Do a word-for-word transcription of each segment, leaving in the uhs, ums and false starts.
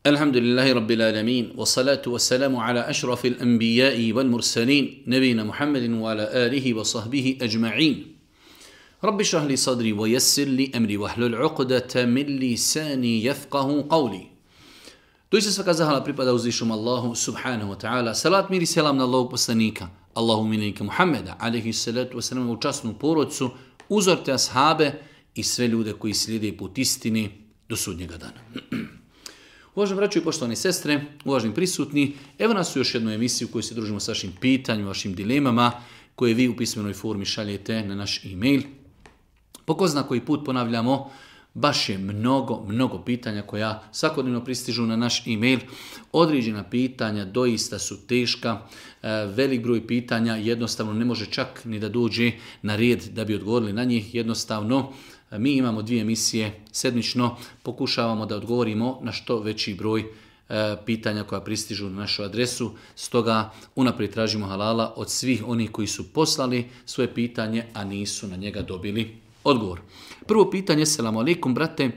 الحمد لله رب العالمين والصلاة والسلام على أشرف الأنبياء والمرسلين نبينا محمد وعلى آله وصحبه أجمعين رب اشرح لي صدري ويسر لي أمري واحلل عقدة من لساني يفقه قولي. Doista svaka zahvala pripada uzvišenom Allahu subhanahu wa ta'ala. Salat, mir i selam na Allahog poslanika, Allahu miljenika Muhammeda, alaihi salatu wasalam, u časnu porodcu, uzorte ashabe i sve ljude koji slijede put istini do sudnjega dana. Uvaženi braćo i poštovani sestre, uvaženi prisutni, evo nas u još jednu emisiju u kojoj se družimo s vašim pitanjima, vašim dilemama, koje vi u pismenoj formi šaljete na naš e-mail. Po ko zna koji put ponavljamo, baš je mnogo, mnogo pitanja koja svakodnevno pristižu na naš e-mail. Određena pitanja doista su teška, velik broj pitanja jednostavno ne može čak ni da dođe na red da bi odgovorili na njih. Jednostavno, mi imamo dvije emisije sedmično, pokušavamo da odgovorimo na što veći broj pitanja koja pristižu na našu adresu. Stoga unaprijed tražimo halala od svih onih koji su poslali svoje pitanje, a nisu na njega dobili odgovor. Prvo pitanje, selamu alaikum brate,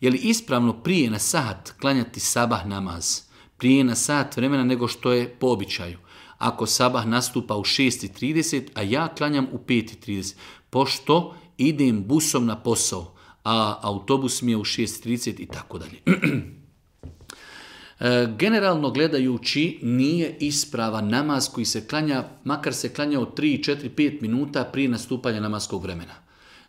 je li ispravno prije na sat klanjati sabah namaz? Prije na sat vremena nego što je po običaju. Ako sabah nastupa u šest i trideset, a ja klanjam u pet i trideset, pošto idem busom na posao, a autobus mi je u šest i trideset i tako dalje. Generalno gledajući, nije ispravan namaz koji se klanja, makar se klanja od tri, četiri, pet minuta prije nastupanja namaskog vremena.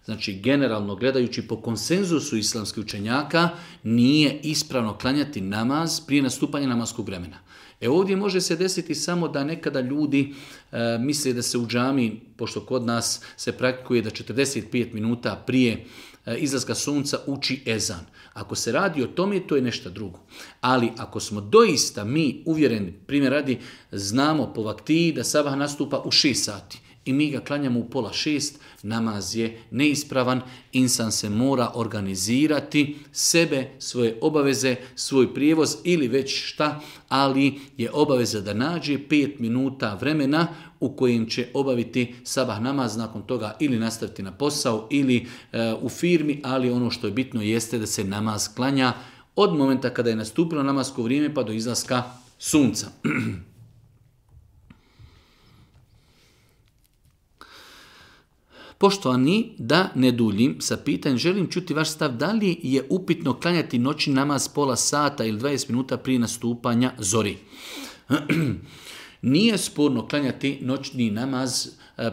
Znači, generalno gledajući po konsenzusu islamskih učenjaka, nije ispravno klanjati namaz prije nastupanja namaskog vremena. E ovdje može se desiti samo da nekada ljudi e, misle da se u džami, pošto kod nas se praktikuje da četrdeset pet minuta prije e, izlaska sunca uči ezan. Ako se radi o tome, to je nešto drugo. Ali ako smo doista mi uvjereni, primjer radi, znamo po vaktiji da sabah nastupa u šest sati i mi ga klanjamo u pola šest, namaz je neispravan, insan se mora organizirati sebe, svoje obaveze, svoj prijevoz ili već šta, ali je obaveza da nađe pet minuta vremena u kojem će obaviti sabah namaz, nakon toga ili nastaviti na posao ili e, u firmi, ali ono što je bitno jeste da se namaz klanja od momenta kada je nastupilo namasko vrijeme pa do izlaska sunca. Poštovani, da ne duljim sa pitanjem, želim čuti vaš stav da li je upitno klanjati noćni namaz pola sata ili dvadeset minuta prije nastupanja zori. Nije sporno klanjati noćni namaz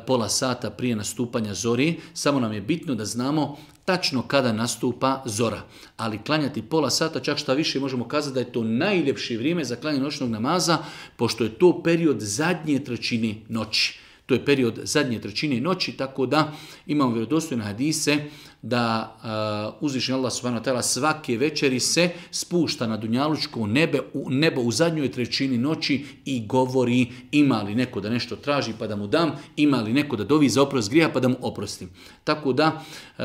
pola sata prije nastupanja zori, samo nam je bitno da znamo tačno kada nastupa zora. Ali klanjati pola sata, čak šta više možemo kazati da je to najljepše vrijeme za klanjanje noćnog namaza, pošto je to period zadnje trećine noći. To je period zadnje trećine noći, tako da imamo vjerodostojne hadise da uh, uzvišeni Allah subhanahu wa ta'ala svake večeri se spušta na dunjalučko nebe, u, nebo u zadnjoj trećini noći i govori ima li neko da nešto traži pa da mu dam, ima li neko da dovi za oprost grijeha pa da mu oprostim. Tako da uh,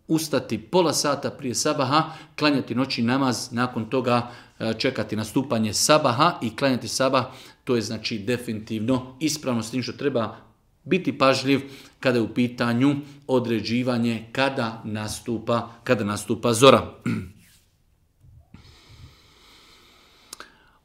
ustati pola sata prije sabaha, klanjati noćni namaz, nakon toga uh, čekati nastupanje sabaha i klanjati sabah. To je znači definitivno ispravno, s tim što treba biti pažljiv kada je u pitanju određivanje kada nastupa, kada nastupa zora.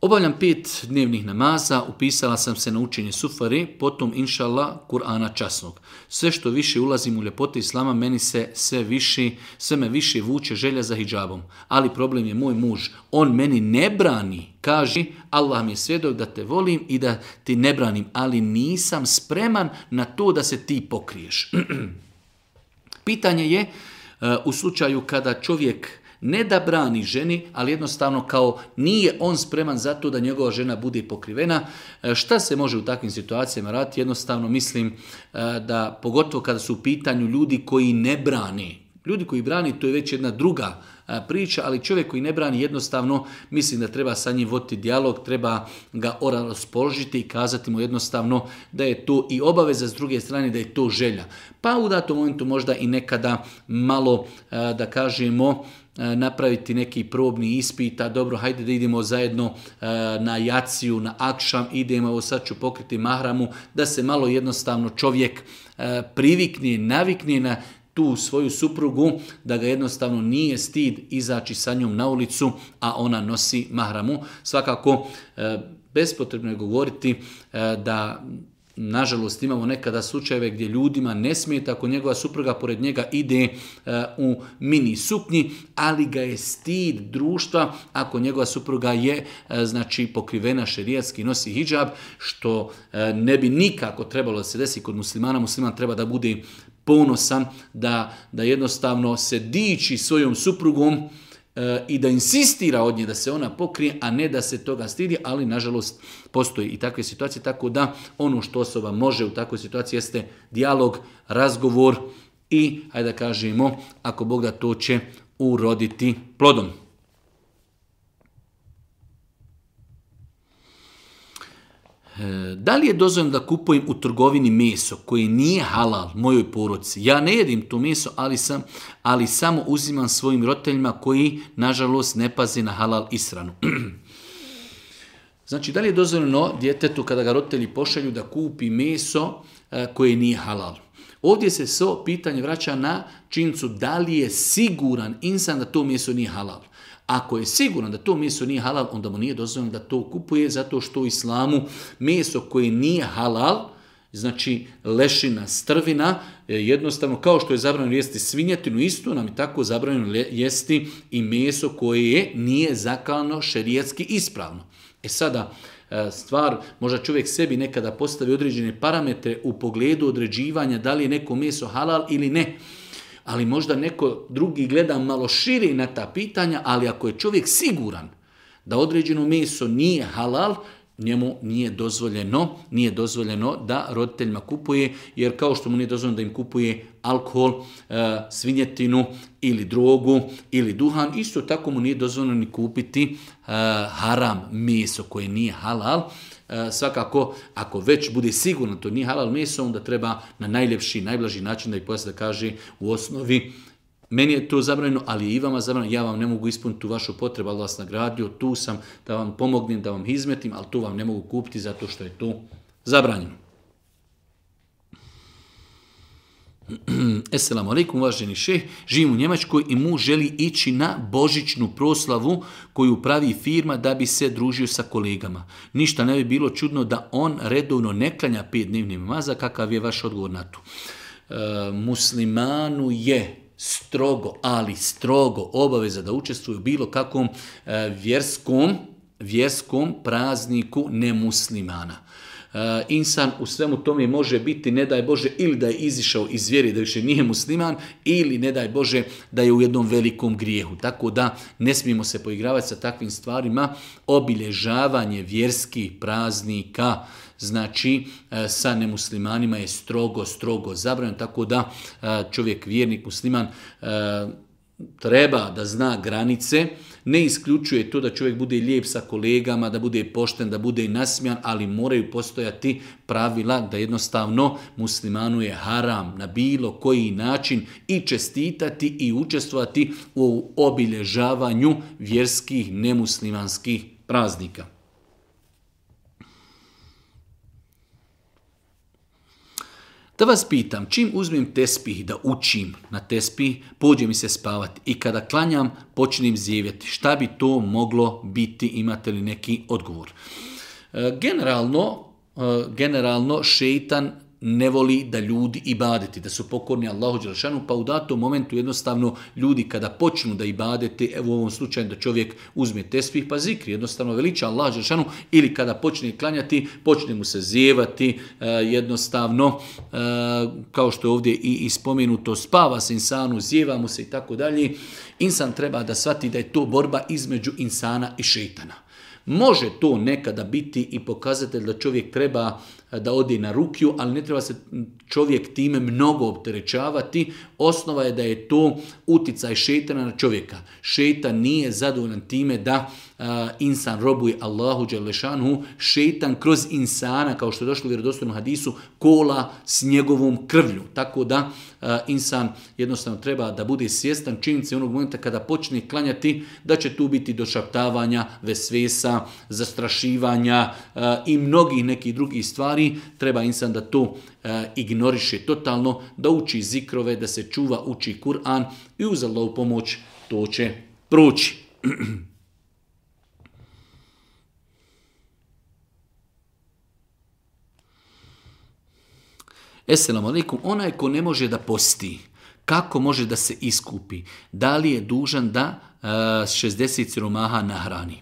Obavljam pet dnevnih namaza, upisala sam se na učenje sufare, potom inša Allah Kur'ana časnog. Sve što više ulazim u ljepote Islama, meni se sve, više, sve me više vuče želja za hidžabom. Ali problem je moj muž, on meni ne brani, kaže Allah mi je svjedok da te volim i da ti ne branim, ali nisam spreman na to da se ti pokriješ. Pitanje je u slučaju kada čovjek ne da brani ženi, ali jednostavno kao nije on spreman za to da njegova žena bude pokrivena. Šta se može u takvim situacijama raditi? Jednostavno mislim da pogotovo kada su u pitanju ljudi koji ne brani. Ljudi koji brani, to je već jedna druga priča, ali čovjek koji ne brani jednostavno, mislim da treba sa njim voditi dijalog, treba ga raspoložiti i kazati mu jednostavno da je to i obaveza, s druge strane da je to želja. Pa u datom momentu možda i nekada malo, da kažemo, napraviti neki probni ispit, a dobro, hajde da idemo zajedno na jaciju, na akšam, idemo, ovo sad ću pokriti mahramu, da se malo jednostavno čovjek privikne, navikne na tu svoju suprugu, da ga jednostavno nije stid izaći sa njom na ulicu, a ona nosi mahramu. Svakako, bespotrebno je govoriti da nažalost imamo nekada slučajeve gdje ljudima ne smeta ako njegova supruga pored njega ide u mini suknji, ali ga je stid društva ako njegova supruga je znači pokrivena šerijatski, nosi hidžab, što ne bi nikako trebalo da se desi kod muslimana. Musliman treba da bude ponosan, da, da jednostavno se diči svojom suprugom i da insistira od nje da se ona pokrije, a ne da se toga stidi, ali nažalost postoji i takve situacije, tako da ono što osoba može u takvoj situaciji jeste dijalog, razgovor i, hajde da kažemo, ako Bog da, to će uroditi plodom. Da li je dozvoljeno da kupujem u trgovini meso koje nije halal mojoj porodici? Ja ne jedim to meso, ali, sam, ali samo uzimam svojim roditeljima koji, nažalost, ne paze na halal ishranu. Znači, da li je dozvoljeno djetetu kada ga roditelji pošalju da kupi meso koje nije halal? Ovdje se svo pitanje vraća na činjenicu da li je siguran insan da to meso nije halal. Ako je siguran da to meso nije halal, onda mu nije dozvoljeno da to kupuje, zato što u islamu meso koje nije halal, znači lešina, strvina, jednostavno kao što je zabranjeno jesti svinjetinu, isto nam je tako zabranjeno jesti i meso koje nije zaklano šerijatski ispravno. E sada, stvar, možda čovjek sebi nekada postavi određene parametre u pogledu određivanja da li je neko meso halal ili ne. Ali možda neko drugi gleda malo šire na ta pitanja, ali ako je čovjek siguran da određeno meso nije halal, njemu nije dozvoljeno, nije dozvoljeno da roditeljima kupuje, jer kao što mu nije dozvoljeno da im kupuje alkohol, svinjetinu ili drogu ili duhan, isto tako mu nije dozvoljeno ni kupiti haram meso koje nije halal. Svakako, ako već bude sigurno to nije halal meso, onda treba na najljepši, najblaži način da ih pojasni, da kaže u osnovi meni je to zabranjeno, ali je i vama zabranjeno, ja vam ne mogu ispuniti tu vašu potrebu, Allah vas nagradio, tu sam da vam pomognem, da vam izmetim, ali to vam ne mogu kupiti zato što je to zabranjeno. Esselamu alaikum, uvaženi šeh, živim u Njemačkoj i muž želi ići na božićnu proslavu koju pravi firma da bi se družio sa kolegama. Ništa ne bi bilo čudno da on redovno ne klanja pet dnevnih namaza. Kakav je vaš odgovor na to? E, muslimanu je strogo, ali strogo obaveza da učestvuje u bilo kakvom e, vjerskom, vjerskom prazniku nemuslimana. Uh, insan u svemu tome može biti, ne daj Bože, ili da je izišao iz vjere, da više nije musliman, ili ne daj Bože da je u jednom velikom grijehu. Tako da ne smijemo se poigravati sa takvim stvarima. Obilježavanje vjerskih praznika, znači uh, sa nemuslimanima je strogo, strogo zabranjeno. Tako da uh, čovjek, vjernik, musliman, uh, treba da zna granice. Ne isključuje to da čovjek bude lijep sa kolegama, da bude pošten, da bude i nasmijan, ali moraju postojati pravila da jednostavno muslimanu je haram na bilo koji način i čestitati i učestvovati u obilježavanju vjerskih nemuslimanskih praznika. Da vas pitam, čim uzmem tespih da učim na tespih, pođe mi se spavati i kada klanjam počnem zjevjeti. Šta bi to moglo biti, imate li neki odgovor? E, generalno, e, generalno šeitan ne voli da ljudi ibadeti, da su pokorni Allahu dželešanu, pa u datom momentu jednostavno ljudi kada počnu da ibadete, evo u ovom slučaju da čovjek uzme tespih pa zikri, jednostavno veliča Allahu dželešanu, ili kada počne klanjati, počne mu se zjevati, jednostavno, kao što je ovdje i ispomenuto, spava se insanu, zjeva mu se i tako dalje. Insan treba da shvati da je to borba između insana i šeitana. Može to nekada biti i pokazatelj da čovjek treba da ode na rukiju, ali ne treba se čovjek time mnogo opterećavati. Osnova je da je to uticaj šejtana na čovjeka. Šejtan nije zadovoljan time da uh, insan robuje Allahu dželešanu. Šejtan kroz insana, kao što je došlo u vjerodostojnom hadisu, kola s njegovom krvlju. Tako da uh, insan jednostavno treba da bude svjestan činjenice onog momenta kada počne klanjati, da će tu biti došaptavanja, vesvesa, zastrašivanja uh, i mnogih nekih drugih stvari. stvari, treba insan da to e, ignoriše totalno, da uči zikrove, da se čuva, uči Kur'an i uz Allahovu pomoć to će proći. Esselamu alaikum, onaj ko ne može da posti, kako može da se iskupi? Da li je dužan da uh, šezdeset siromaha nahrani?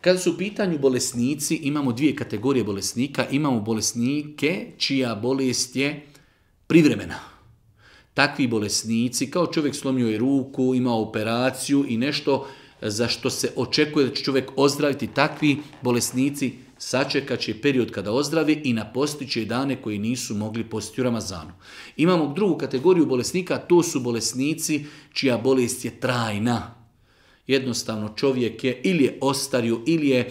Kada su u pitanju bolesnici, imamo dvije kategorije bolesnika. Imamo bolesnike čija bolest je privremena. Takvi bolesnici, kao čovjek slomio je ruku, ima operaciju i nešto za što se očekuje da će čovjek ozdraviti, takvi bolesnici sačekat će period kada ozdravi i napostit će dane koji nisu mogli postiti u Ramazanu. Imamo drugu kategoriju bolesnika, to su bolesnici čija bolest je trajna. Jednostavno čovjek je ili je ostario ili je e,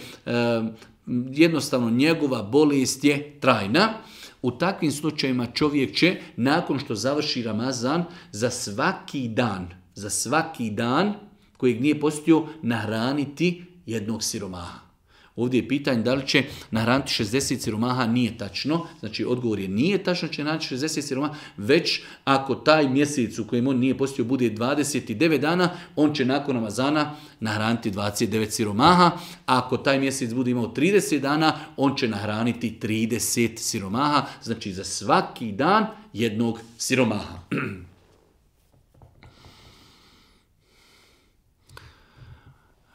jednostavno njegova bolest je trajna. U takvim slučajevima čovjek će nakon što završi Ramazan za svaki dan, za svaki dan kojeg nije postio nahraniti jednog siromaha. Ovdje je pitanje da li će nahraniti šezdeset siromaha, nije tačno. Znači odgovor je nije tačno će nahraniti šezdeset siromaha, već ako taj mjesec u kojem on nije postio bude dvadeset devet dana, on će nakon Ramazana nahraniti dvadeset devet siromaha. A ako taj mjesec bude imao trideset dana, on će nahraniti trideset siromaha. Znači za svaki dan jednog siromaha.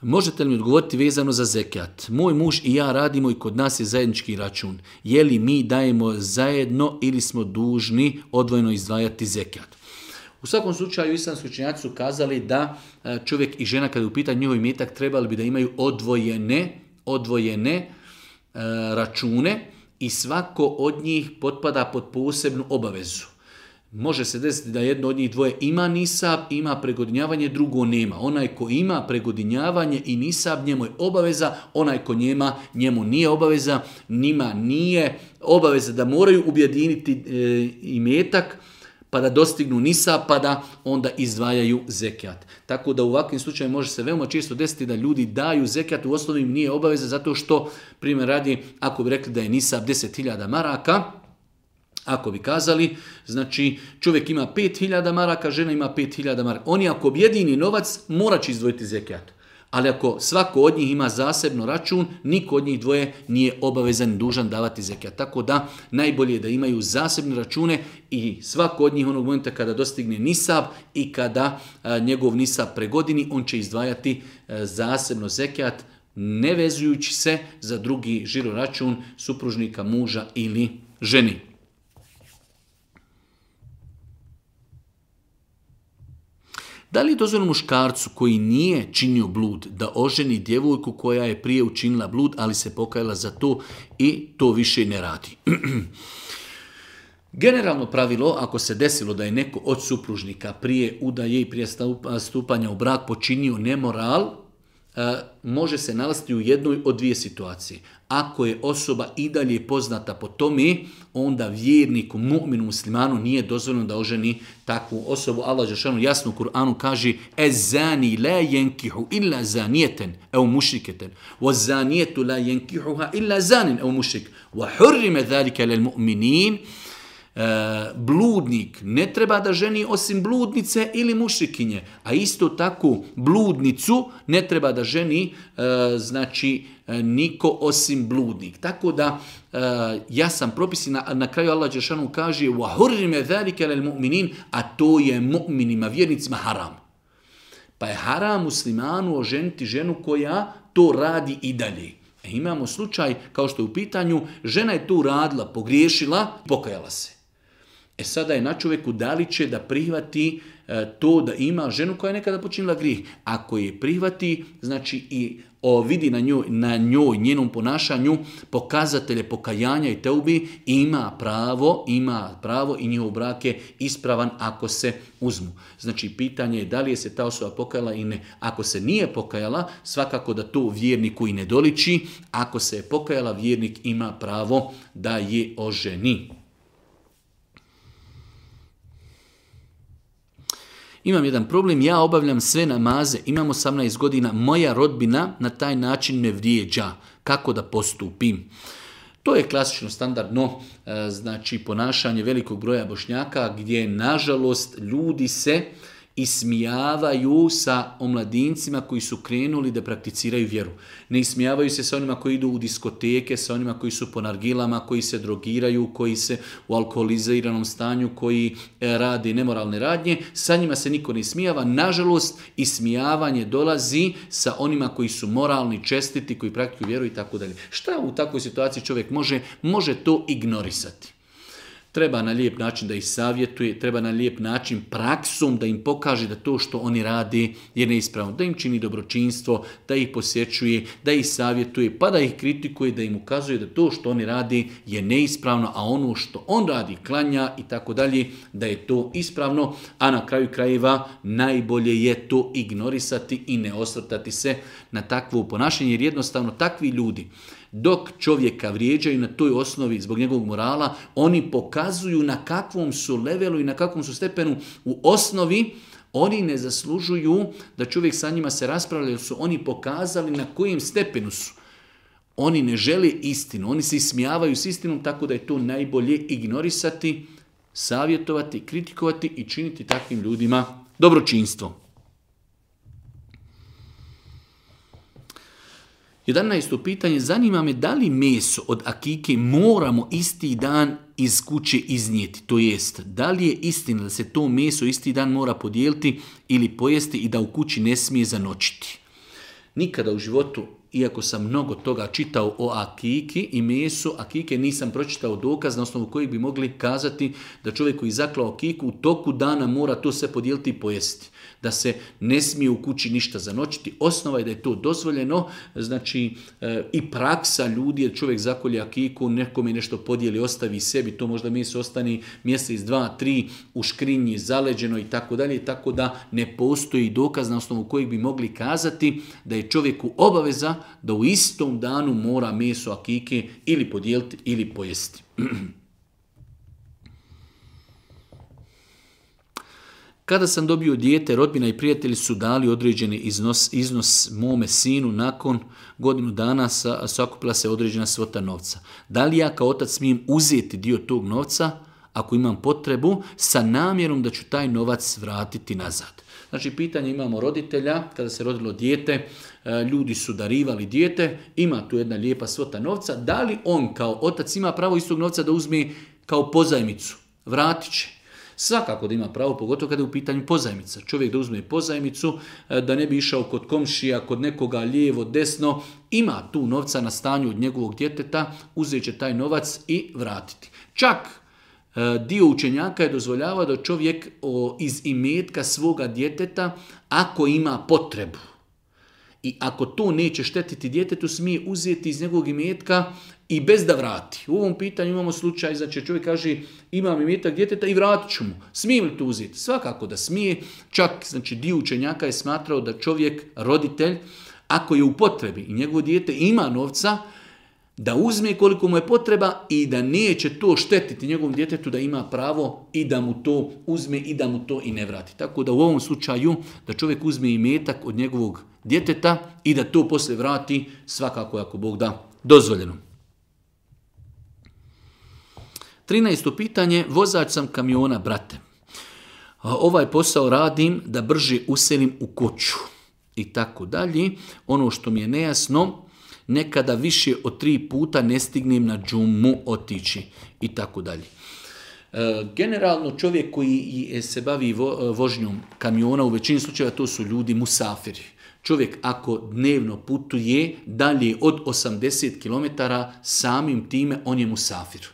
Možete li mi odgovoriti vezano za zekat? Moj muž i ja radimo i kod nas je zajednički račun. Je li mi dajemo zajedno ili smo dužni odvojeno izdvajati zekat? U svakom slučaju islamski učenjaci su kazali da čovjek i žena kada je u pitanju njihov imetak trebali bi da imaju odvojene, odvojene e, račune i svako od njih potpada pod posebnu obavezu. Može se desiti da jedno od njih dvoje ima nisab, ima pregodinjavanje, drugo nema. Onaj ko ima pregodinjavanje i nisab, njemu je obaveza, onaj ko njema, njemu nije obaveza, njima nije obaveza da moraju objediniti e, imetak, pa da dostignu nisab, pa da onda izdvajaju zekat. Tako da u ovakvim slučajima može se veoma često desiti da ljudi daju zekat, u osnovi im nije obaveza, zato što, primjer radi, ako bi rekli da je nisab deset hiljada maraka, ako bi kazali, znači čovjek ima pet hiljada maraka, žena ima pet hiljada maraka. Oni ako objedini novac, morat će izdvojiti zekat. Ali ako svako od njih ima zasebno račun, niko od njih dvoje nije obavezan i dužan davati zekat. Tako da najbolje je da imaju zasebne račune i svako od njih onog momenta kada dostigne nisab i kada a, njegov nisab pregodini, on će izdvajati a, zasebno zekat, ne vezujući se za drugi žiro račun supružnika, muža ili ženi. Da li je dozvoljeno muškarcu koji nije činio blud da oženi djevojku koja je prije učinila blud, ali se pokajala za to i to više ne radi? Generalno pravilo, ako se desilo da je neko od supružnika prije udaje i prije stupanja u brak počinio nemoral, može se nalaziti u jednoj od dvije situacije. Ako je osoba i dalje poznata po tome, onda vjerniku, mu'minu, muslimanu nije dozvoljeno da oženi takvu osobu. Allah dželle jasno u Kur'anu kaže: "Ez-zani la yankihu illa zaniyatan aw mushrikatan, waz-zaniyatu la yankihuha illa zanin aw mushrik, wa hurrima dhalika lil-mu'minin." Bludnik ne treba da ženi osim bludnice ili mušrikinje, a isto tako bludnicu ne treba da ženi znači niko osim bludnik. Tako da ja sam propisi na, na kraju Allah dželle kaže wa hurrima zalika lil mu'minin, a to je mu'minima, vjernicima haram. Pa je haram muslimanu oženiti ženu koja to radi i dalje. E, imamo slučaj kao što je u pitanju, žena je to radila, pogriješila, pokajala se. E sada je na čovjeku da li će da prihvati e, to da ima ženu koja je nekada počinila grijeh. Ako je prihvati, znači i o, vidi na njoj, na njoj, njenom ponašanju pokazatelje pokajanja i teubi, ima pravo, ima pravo i njihov brak je ispravan ako se uzmu. Znači pitanje je da li je se ta osoba pokajala i ne. Ako se nije pokajala, svakako da to vjerniku i ne doliči. Ako se je pokajala, vjernik ima pravo da je oženi. Imam jedan problem, ja obavljam sve namaze, imam osamnaest godina, moja rodbina na taj način me vrijeđa. Kako da postupim? To je klasično standardno znači ponašanje velikog broja Bošnjaka gdje nažalost ljudi se ismijavaju sa omladincima koji su krenuli da prakticiraju vjeru. Ne ismijavaju se sa onima koji idu u diskoteke, sa onima koji su po nargilama, koji se drogiraju, koji se u alkoholiziranom stanju, koji rade nemoralne radnje. Sa njima se niko ne ismijava. Nažalost, ismijavanje dolazi sa onima koji su moralni, čestiti, koji praktikuju vjeru i tako dalje. Šta u takvoj situaciji čovjek može? Može to ignorisati. Treba na lijep način da ih savjetuje, treba na lijep način praksom da im pokaže da to što oni rade je neispravno, da im čini dobročinstvo, da ih posjećuje, da ih savjetuje, pa da ih kritikuje, da im ukazuje da to što oni rade je neispravno, a ono što on radi, klanja i tako dalje, da je to ispravno, a na kraju krajeva najbolje je to ignorisati i ne osvrtati se na takvo ponašanje, jer jednostavno takvi ljudi, dok čovjeka vrijeđaju na toj osnovi zbog njegovog morala, oni pokazuju na kakvom su levelu i na kakvom su stepenu u osnovi. Oni ne zaslužuju da čovjek sa njima se raspravlja, jer su oni pokazali na kojem stepenu su. Oni ne žele istinu, oni se ismijavaju s istinom, tako da je to najbolje ignorisati, savjetovati, kritikovati i činiti takvim ljudima dobročinstvo. jedanaesto pitanje, zanima me da li meso od akike moramo isti dan iz kuće iznijeti, to jest, da li je istina da se to meso isti dan mora podijeliti ili pojesti i da u kući ne smije zanočiti. Nikada u životu, iako sam mnogo toga čitao o akiki i mesu akike, nisam pročitao dokaz na osnovu kojeg bi mogli kazati da čovjek koji zaklao akiku u toku dana mora to sve podijeliti i pojesti. Da se ne smije u kući ništa zanočiti. Osnova je da je to dozvoljeno, znači e, i praksa ljudi, da čovjek zakolje akiku, nekome nešto podijeli, ostavi sebi, to možda meso ostane mjesec, dva, tri u škrinji, zaleđeno i tako dalje, tako da ne postoji dokaz na osnovu kojeg bi mogli kazati da je čovjeku obaveza da u istom danu mora meso akike ili podijeliti ili pojesti. Kada sam dobio dijete, rodbina i prijatelji su dali određeni iznos, iznos mome sinu, nakon godinu dana sa, sakupila se određena svota novca. Da li ja kao otac smijem uzeti dio tog novca, ako imam potrebu, sa namjerom da ću taj novac vratiti nazad? Znači, pitanje imamo roditelja, kada se rodilo dijete, ljudi su darivali dijete, ima tu jedna lijepa svota novca, da li on kao otac ima pravo iz tog novca da uzme kao pozajmicu? Vratit će. Svakako da ima pravo, pogotovo kada je u pitanju pozajmica. Čovjek da uzme pozajmicu, da ne bi išao kod komšija, kod nekoga lijevo, desno, ima tu novca na stanju od njegovog djeteta, uzet će taj novac i vratiti. Čak dio učenjaka je dozvoljavao da čovjek iz imetka svoga djeteta, ako ima potrebu i ako to neće štetiti djetetu, smije uzeti iz njegovog imetka i bez da vrati. U ovom pitanju imamo slučaj, znači čovjek kaže imam imetak djeteta i vratit ću mu. Smije li to uzeti? Svakako da smije. Čak znači, dio učenjaka je smatrao da čovjek, roditelj, ako je u potrebi i njegovo dijete ima novca, da uzme koliko mu je potreba i da neće to štetiti njegovom djetetu, da ima pravo i da mu to uzme i da mu to i ne vrati. Tako da u ovom slučaju da čovjek uzme imetak od njegovog djeteta i da to poslije vrati, svakako ako Bog da, dozvoljeno. trinaesto pitanje, vozač sam kamiona, brate. Ovaj posao radim da brže uselim u kuću i tako dalje. Ono što mi je nejasno, nekada više od tri puta ne stignem na džumu otići i tako dalje. Generalno čovjek koji se bavi vožnjom kamiona, u većini slučajeva to su ljudi musafiri. Čovjek ako dnevno putuje dalje od osamdeset kilometara, samim time on je musafir.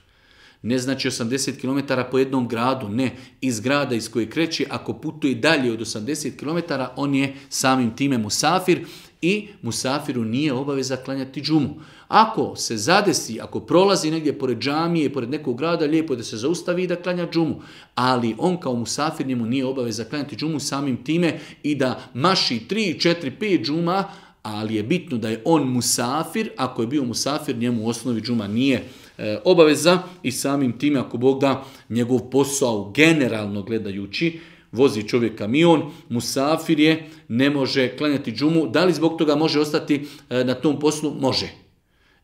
Ne znači osamdeset kilometara po jednom gradu, ne. Iz grada iz koje kreće, ako putuje dalje od osamdeset kilometara, on je samim time musafir i musafiru nije obaveza klanjati džumu. Ako se zadesi, ako prolazi negdje pored džamije, pored nekog grada, lijepo je da se zaustavi i da klanja džumu. Ali on kao musafir njemu nije obaveza klanjati džumu samim time i da maši tri, četiri, pet džuma, ali je bitno da je on musafir. Ako je bio musafir, njemu u osnovi džuma nije e, obaveza i samim time, ako Bog da, njegov posao generalno gledajući, vozi čovjek kamion, musafir je, ne može klanjati džumu. Da li zbog toga može ostati e, na tom poslu? Može.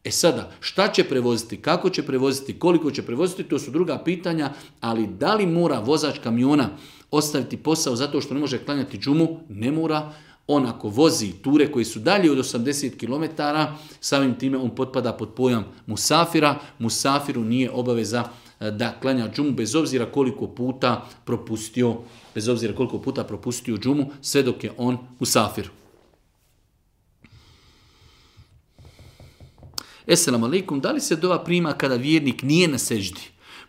E sada, šta će prevoziti, kako će prevoziti, koliko će prevoziti, to su druga pitanja, ali da li mora vozač kamiona ostaviti posao zato što ne može klanjati džumu? Ne mora. On ako vozi ture koji su dalje od osamdeset kilometara, samim time on potpada pod pojam musafira. Musafiru nije obaveza da klanja džumu bez obzira koliko puta propustio, bez obzira koliko puta propustio džumu, sve dok je on musafir. Esselamu alaikum, da li se dova prima kada vjernik nije na seždi?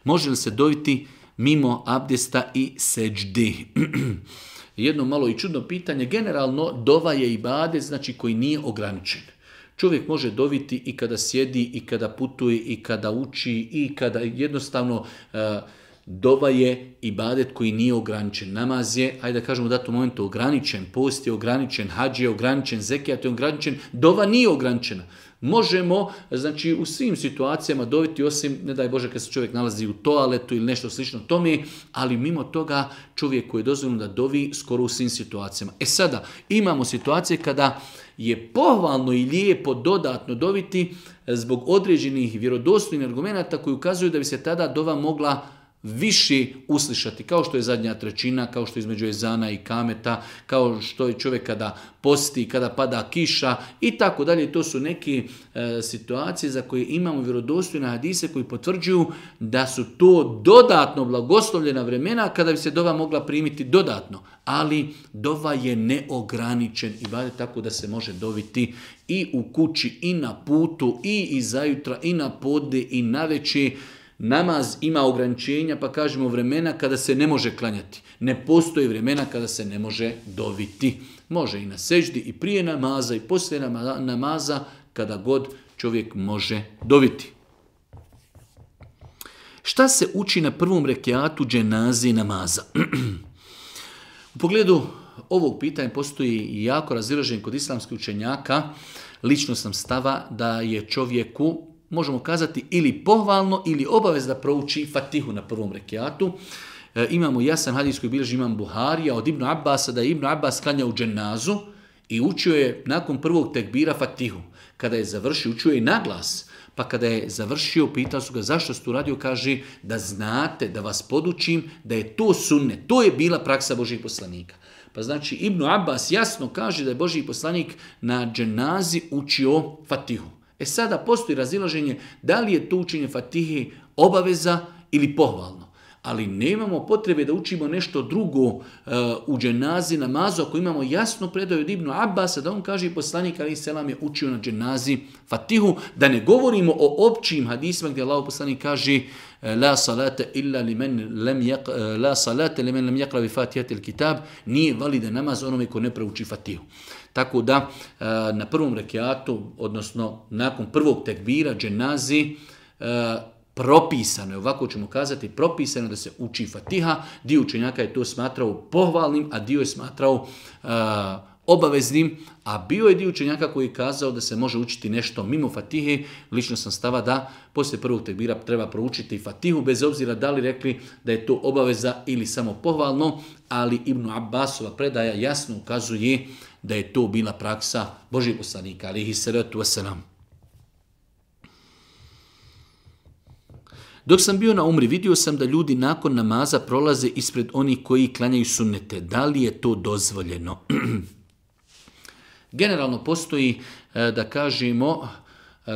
Može li se doviti mimo abdesta i seždi? Jedno malo i čudno pitanje. Generalno, dova je ibadet, znači koji nije ograničen. Čovjek može doviti i kada sjedi, i kada putuje, i kada uči, i kada jednostavno uh, dova je ibadet koji nije ograničen. Namaz je, hajde da kažemo u datom momentu, ograničen. Post je ograničen, hadž je ograničen, zekijat je ograničen. Dova nije ograničena. Možemo, znači, u svim situacijama doviti, osim, ne daj Bože, kad se čovjek nalazi u toaletu ili nešto slično tome, ali mimo toga čovjek koji je dozvoljeno da dovi skoro u svim situacijama. E sada, imamo situacije kada je pohvalno i lijepo dodatno doviti zbog određenih vjerodostojnih argumenata koji ukazuju da bi se tada dova mogla više uslišati, kao što je zadnja trećina, kao što je između ezana i kameta, kao što je čovjek kada posti, kada pada kiša i tako dalje. To su neke e, situacije za koje imamo vjerodostojne hadise koji potvrđuju da su to dodatno blagoslovljena vremena kada bi se dova mogla primiti dodatno. Ali dova je neograničen ibadet, tako da se može doviti i u kući, i na putu, i iza jutra, i na podne, i navečer. Namaz ima ograničenja, pa kažemo vremena kada se ne može klanjati. Ne postoji vremena kada se ne može doviti. Može i na seždi, i prije namaza, i poslije namaza, kada god čovjek može doviti. Šta se uči na prvom rekiatu dženaze namaza? U pogledu ovog pitanja postoji jako razilaženje kod islamskih učenjaka. Lično sam stava da je čovjeku, možemo kazati, ili pohvalno ili obavez da prouči Fatihu na prvom rekiatu. E, imamo jasan hadis koji bilježi imam Buharija od Ibnu Abbasa, da je Ibnu Abbas klanja u dženazu i učio je nakon prvog tekbira Fatihu. Kada je završio, učio je i naglas. Pa kada je završio, pitao su ga zašto ste uradio, kaže da znate, da vas podučim da je to sunnet. To je bila praksa Božih poslanika. Pa znači Ibnu Abbas jasno kaže da je Božji poslanik na dženazi učio Fatihu. E sada postoji razilaženje da li je to učenje Fatihe obaveza ili pohvalno. Ali nemamo potrebe da učimo nešto drugo uh, u dženazi namazu ako imamo jasno predaju od Ibnu Abbasa da on kaže i poslanik alejhi selam je učio na dženazi Fatihu, da ne govorimo o općim hadisima gdje Allah poslanik kaže la salata illa liman lam yaqra la salata liman lam yaqra bi Fatihatil kitab, nije validan namaz onome ko ne prouči Fatihu. Tako da na prvom rekiatu, odnosno nakon prvog tekbira dženazi, propisano je, ovako ćemo kazati, propisano da se uči Fatiha. Dio učenjaka je to smatrao pohvalnim, a dio je smatrao uh, obaveznim, a bio je dio učenjaka koji je kazao da se može učiti nešto mimo Fatihe. Lično sam stava da poslije prvog tekbira treba proučiti Fatihu, bez obzira da li rekli da je to obaveza ili samo pohvalno, ali Ibnu Abbasova predaja jasno ukazuje da je to bila praksa Božjeg poslanika, alejhi salatu vesselam. Dok sam bio na umri, vidio sam da ljudi nakon namaza prolaze ispred onih koji klanjaju sunnete. Da li je to dozvoljeno? Generalno postoji, da kažemo,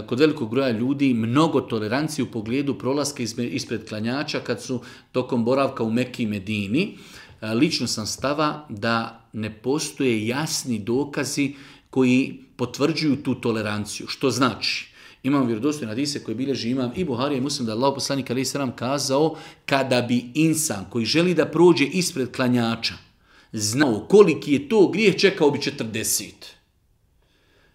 kod velikog broja ljudi mnogo tolerancije u pogledu prolaska ispred klanjača kad su tokom boravka u Mekki i Medini. Lično sam stava da ne postoje jasni dokazi koji potvrđuju tu toleranciju. Što znači? Imam vjerodostojne hadise koje bilježi imam i Buharija i Muslim da je Allah poslanik alejhi selam kazao kada bi insan koji želi da prođe ispred klanjača znao koliki je to grijeh, čekao bi četrdeset.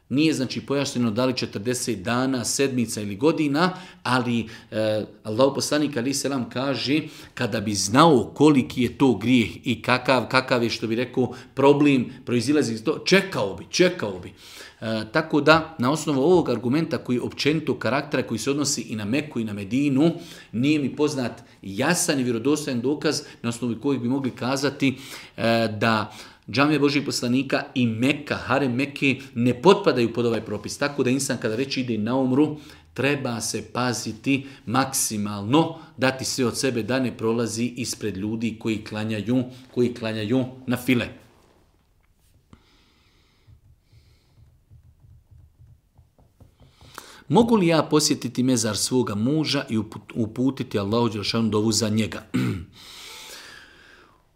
Nije znači pojašnjeno da li četrdeset dana, sedmica ili godina, ali eh, Allah poslanik alejhi selam kaže kada bi znao koliki je to grijeh i kakav, kakav je, što bi rekao, problem proizilazi iz to, čekao bi, čekao bi. E, tako da, na osnovu ovog argumenta koji je općenito karaktera, koji se odnosi i na Meku i na Medinu, nije mi poznat jasan i vjerodostojan dokaz na osnovu kojeg bi mogli kazati e, da džamije Božih poslanika i Meka, harem Mekke ne potpadaju pod ovaj propis. Tako da insan kada već ide na umru, treba se paziti maksimalno, dati sve od sebe da ne prolazi ispred ljudi koji klanjaju, koji klanjaju na file. Mogu li ja posjetiti mezar svoga muža i uputiti Allahu dželešanu dovu za njega?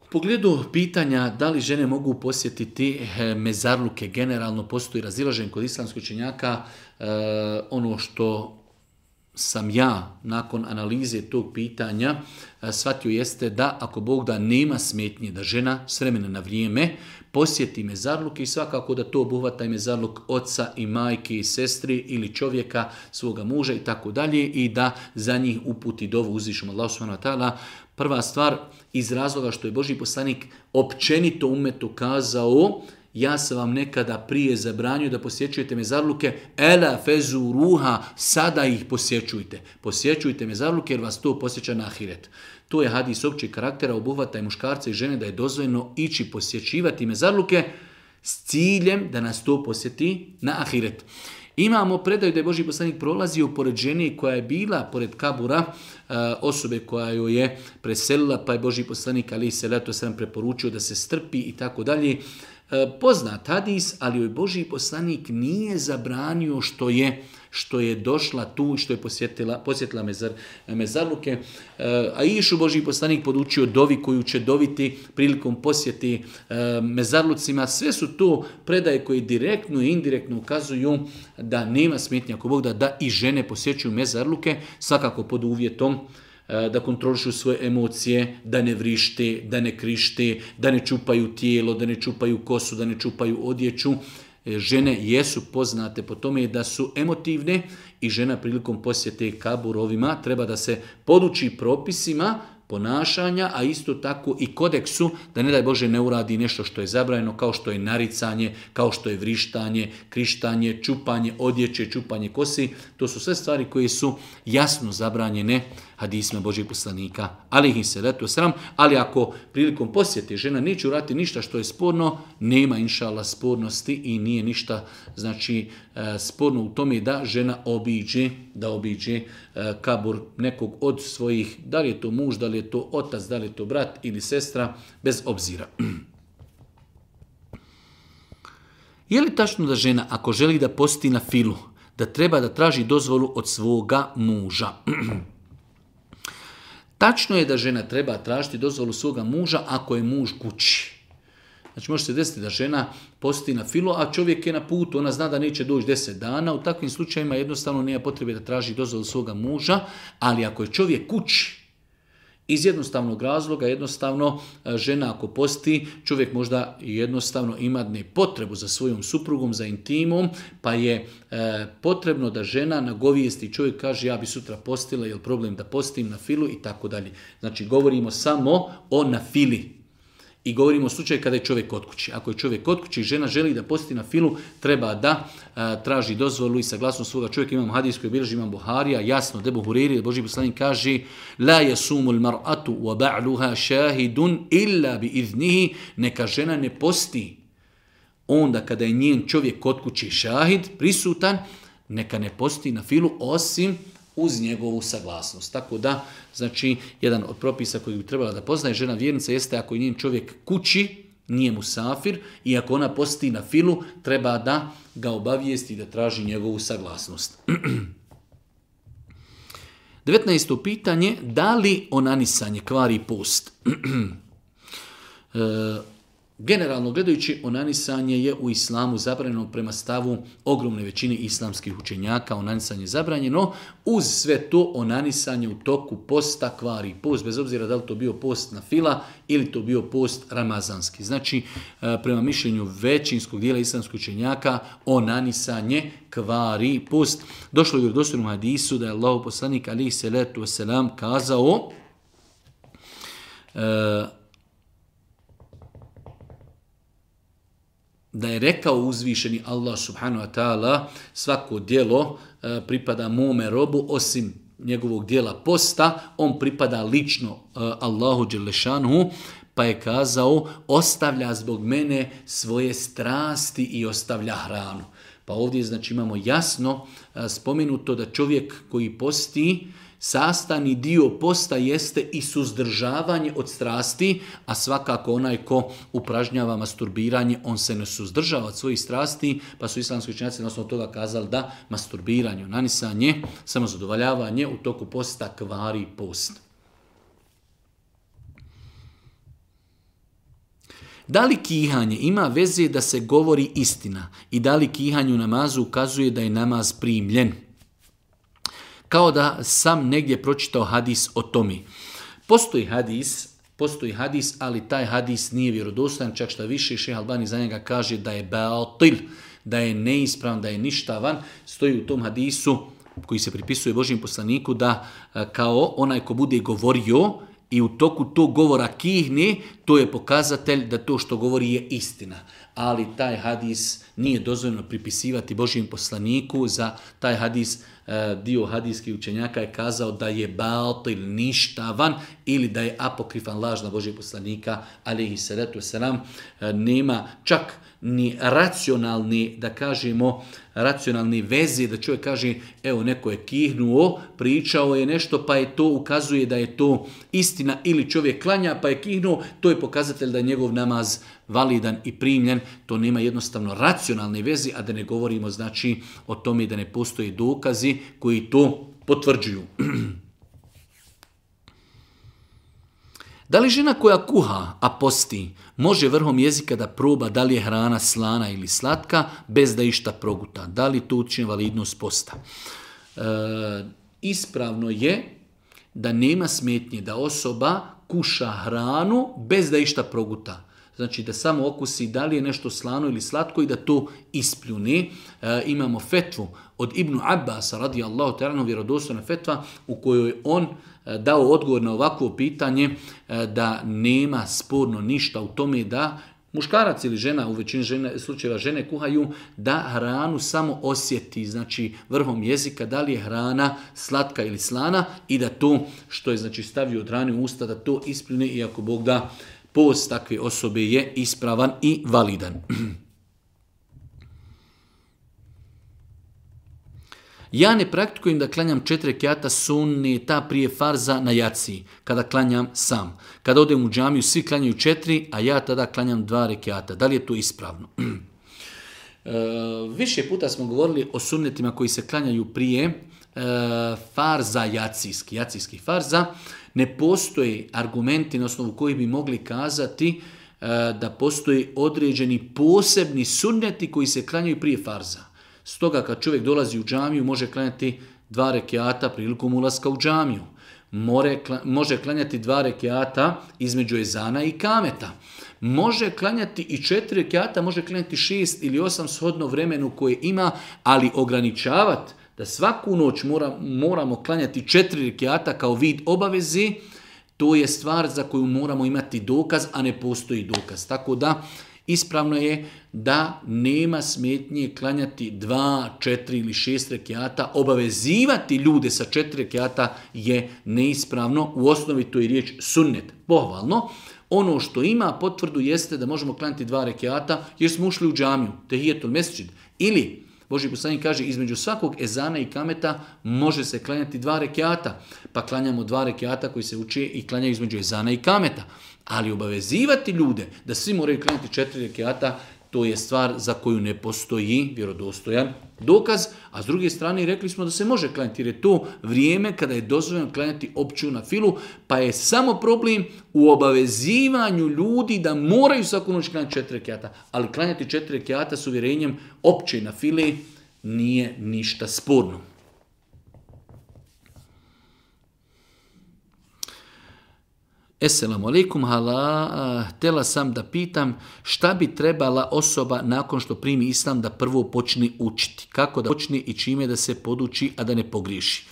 U pogledu pitanja da li žene mogu posjetiti mezarluke, generalno postoji razilaženje kod islamskih učenjaka. E, ono što sam ja nakon analize tog pitanja shvatio jeste da ako Bog da nema smetnje da žena s vremena na vrijeme posjeti mezarluke i svakako da to obuhvata i mezarluk oca i majke i sestri ili čovjeka svoga muža i tako dalje i da za njih uputi dovu uzvišenom Allahu subhanahu wa ta'ala. Prva stvar iz razloga što je Božji poslanik općenito umetu kazao: ja sam vam nekada prije zabranio da posjećujete mezarluke, ela fezu ruha, sada ih posjećujte. Posjećujte mezarluke jer vas to posjeća na ahiret. To je hadis općeg karaktera, obuhvata i muškarca i žene da je dozvoljeno ići posjećivati mezarluke s ciljem da nas to posjeti na ahiret. Imamo predaju da je Božji poslanik prolazio pored žene koja je bila pored kabura osobe koja joj je preselila, pa je Božji poslanik alejhi selatu vesselam preporučio da se strpi i tako dalje. Poznat hadis, ali joj Božji poslanik nije zabranio što je što je došla tu i što je posjetila, posjetila mezar, mezarluke. A išu Božji poslanik podučio dovi koju će doviti prilikom posjeti mezarlucima. Sve su to predaje koje direktno i indirektno ukazuju da nema smetnja ako Bog da, da i žene posjećuju mezarluke, svakako pod uvjetom da kontrolišu svoje emocije, da ne vrište, da ne krište, da ne čupaju tijelo, da ne čupaju kosu, da ne čupaju odjeću. Žene jesu poznate po tome da su emotivne i žena prilikom posjete kaburovima treba da se poduči propisima ponašanja, a isto tako i kodeksu, da ne daj Bože ne uradi nešto što je zabranjeno, kao što je naricanje, kao što je vrištanje, krištanje, čupanje odjeće, čupanje kosi. To su sve stvari koje su jasno zabranjene hadisima Božjeg poslanika, alejhi selatu vesselam. Ali ako prilikom posjete žena neće uraditi ništa što je sporno, nema inšallah spornosti i nije ništa znači sporno u tome da žena obiđe, da obiđe kabur nekog od svojih, da li je to muž, da li je to otac, da li je to brat ili sestra, bez obzira. Je li tačno da žena ako želi da posti na filu, da treba da traži dozvolu od svoga muža? Tačno je da žena treba tražiti dozvolu svoga muža ako je muž kući. Znači može se desiti da žena posti na filu, a čovjek je na putu, ona zna da neće doći deset dana. U takvim slučajima jednostavno nema potrebe da traži dozvolu svoga muža, ali ako je čovjek kući, iz jednostavnog razloga, jednostavno žena ako posti, čovjek možda jednostavno ima potrebu za svojom suprugom, za intimom, pa je e, potrebno da žena nagovijesti, čovjek kaže ja bi sutra postila, je li problem da postim na filu i tako dalje. Znači govorimo samo o na fili. I govorimo o slučaju kada je čovjek kod kući. Ako je čovjek kod kući i žena želi da posti na filu, treba da a, traži dozvolu i saglasnost svoga čovjeka. Imam hadis koji bilježi Imam Buharija, jasno, Ebu Hurajri, Božji poslanik kaže: la yasumu al-mar'atu wa ba'luha shahidun illa bi iznihi. Neka žena ne posti onda kada je njen čovjek kod kući šahid, prisutan, neka ne posti na filu osim uz njegovu saglasnost. Tako da, znači, jedan od propisa koji bi trebala da poznaje žena vjernica jeste ako je njen čovjek kući, nije musafir, i ako ona posti na filu, treba da ga obavijesti i da traži njegovu saglasnost. devetnaesto pitanje, da li onanisanje kvari post? e, Generalno gledajući, onanisanje je u islamu zabranjeno prema stavu ogromne većine islamskih učenjaka. Onanisanje je zabranjeno. Uz sve to, onanisanje u toku posta kvari post, bez obzira da li to bio post na fila ili to bio post ramazanski. Znači, prema mišljenju većinskog dijela islamskih učenjaka, onanisanje kvari post. Došlo je u vjerodostojnom hadisu da je Allahov poslanik alejhi selatu vesselam kazao e, da je rekao uzvišeni Allah subhanahu wa ta'ala: svako djelo e, pripada mome robu osim njegovog dijela posta, on pripada lično e, Allahu dželle šanuhu, pa je kazao ostavlja zbog mene svoje strasti i ostavlja hranu. Pa ovdje znači imamo jasno spomenuto da čovjek koji posti, sastavni dio posta jeste i suzdržavanje od strasti, a svakako onaj ko upražnjava masturbiranje, on se ne suzdržava od svojih strasti, pa su islamski učenjaci na osnovu toga kazali da masturbiranje, nanisanje, samozadovoljavanje u toku posta kvari post. Da li kihanje ima veze da se govori istina i da li kihanje u namazu ukazuje da je namaz primljen? Kao da sam negdje pročitao hadis o tome. Postoji hadis, postoji hadis, ali taj hadis nije vjerodostojan, čak šta više Šejh Albani za njega kaže da je batil, da je neispravan, da je ništavan. Stoji u tom hadisu koji se pripisuje Božjem poslaniku da kao onaj ko bude govorio i u toku tog govora kihne, to je pokazatelj da to što govori je istina. Ali taj hadis nije dozvoljeno pripisivati Božjem poslaniku. Za taj hadis dio hadijskih učenjaka je kazao da je batil, ništavan ili da je apokrifan, lažna Božjeg poslanika, alejhi salatu vesselam. Nema čak ni racionalni, da kažemo, racionalni veze, da čovjek kaže, evo neko je kihnuo, pričao je nešto, pa je to ukazuje da je to istina, ili čovjek klanja pa je kihnuo, to je pokazatelj da je njegov namaz validan i primljen. To nema jednostavno racionalne veze, a da ne govorimo znači o tome da ne postoje dokazi koji to potvrđuju. Da li žena koja kuha, a posti, može vrhom jezika da proba da li je hrana slana ili slatka, bez da išta proguta? Da li to učini validnost posta? E, ispravno je da nema smetnje da osoba kuša hranu bez da išta proguta. Znači da samo okusi da li je nešto slano ili slatko i da to ispljune. E, imamo fetvu od Ibnu Abbasa, radijallahu ta'ala, vjerodostojna fetva u kojoj on dao odgovor na ovakvo pitanje da nema sporno ništa u tome da muškarac ili žena, u većini žene, slučajeva žene kuhaju, da hranu samo osjeti, znači vrhom jezika, da li je hrana slatka ili slana i da to što je znači stavio od hrane u usta, da to ispljune, iako Bog da post takve osobe je ispravan i validan. Ja ne praktikujem da klanjam četiri rekjata sunneta prije farza na jaciji, kada klanjam sam. Kada odem u džamiju, svi klanjaju četiri, a ja tada klanjam dva rekjata. Da li je to ispravno? e, više puta smo govorili o sunnetima koji se klanjaju prije e, farza jacijski, jacijskih farza. Ne postoje argumenti na osnovu kojih bi mogli kazati e, da postoje određeni posebni sunneti koji se klanjaju prije farza. Stoga kad čovjek dolazi u džamiju može klanjati dva rekiata prilikom ulaska u džamiju. More, može klanjati dva rekiata između ezana i kameta. Može klanjati i četiri rekiata, može klanjati šest ili osam shodno vremenu koje ima, ali ograničavati da svaku noć mora, moramo klanjati četiri rekiata kao vid obavezi, to je stvar za koju moramo imati dokaz, a ne postoji dokaz. Tako da ispravno je da nema smetnje klanjati dva, četiri ili šest rekiata. Obavezivati ljude sa četiri rekiata je neispravno. U osnovi to je riječ sunnet, pohvalno. Ono što ima potvrdu jeste da možemo klanjati dva rekiata jer smo ušli u džamiju, tehijetul mesdžid. Ili, Božji poslanik kaže, između svakog ezana i kameta može se klanjati dva rekiata. Pa klanjamo dva rekiata koji se uči i klanjaju između ezana i kameta. Ali obavezivati ljude da svi moraju klanjati četiri rekiata, to je stvar za koju ne postoji vjerodostojan dokaz. A s druge strane rekli smo da se može klanjati jer je to vrijeme kada je dozvoljeno klanjati opću na filu, pa je samo problem u obavezivanju ljudi da moraju svaku noć klanjati četiri rekiata. Ali klanjati četiri rekiata s uvjerenjem opće na file nije ništa sporno. Esselamu alaikum, hala, htjela sam da pitam šta bi trebala osoba nakon što primi islam da prvo počne učiti. Kako da počne i čime da se poduči, a da ne pogriješi.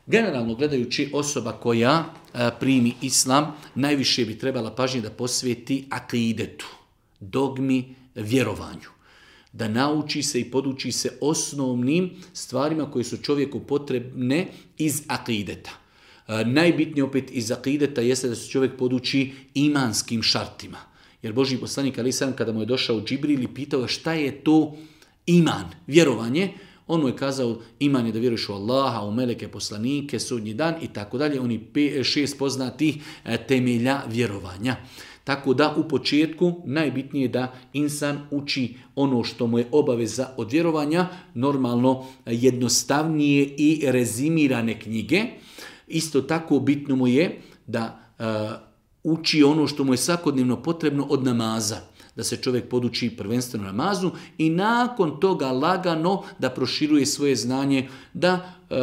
Generalno gledajući, osoba koja a, primi islam najviše bi trebala pažnje da posveti akidetu, dogmi, vjerovanju. Da nauči se i poduči se osnovnim stvarima koje su čovjeku potrebne iz akideta. E, najbitnije opet iz akideta jeste da se čovjek poduči imanskim šartima. Jer Božji poslanik alejhi selam kada mu je došao Džibril i pitao šta je to iman, vjerovanje, on mu je kazao iman je da vjeruješ u Allaha, u meleke, poslanike, sudnji dan i tako dalje. Oni pe, šest poznatih temelja vjerovanja. Tako da u početku najbitnije je da insan uči ono što mu je obaveza od vjerovanja, normalno jednostavnije i rezimirane knjige. Isto tako bitno mu je da uh, uči ono što mu je svakodnevno potrebno od namaza. Da se čovjek poduči prvenstveno namazu i nakon toga lagano da proširuje svoje znanje, da e,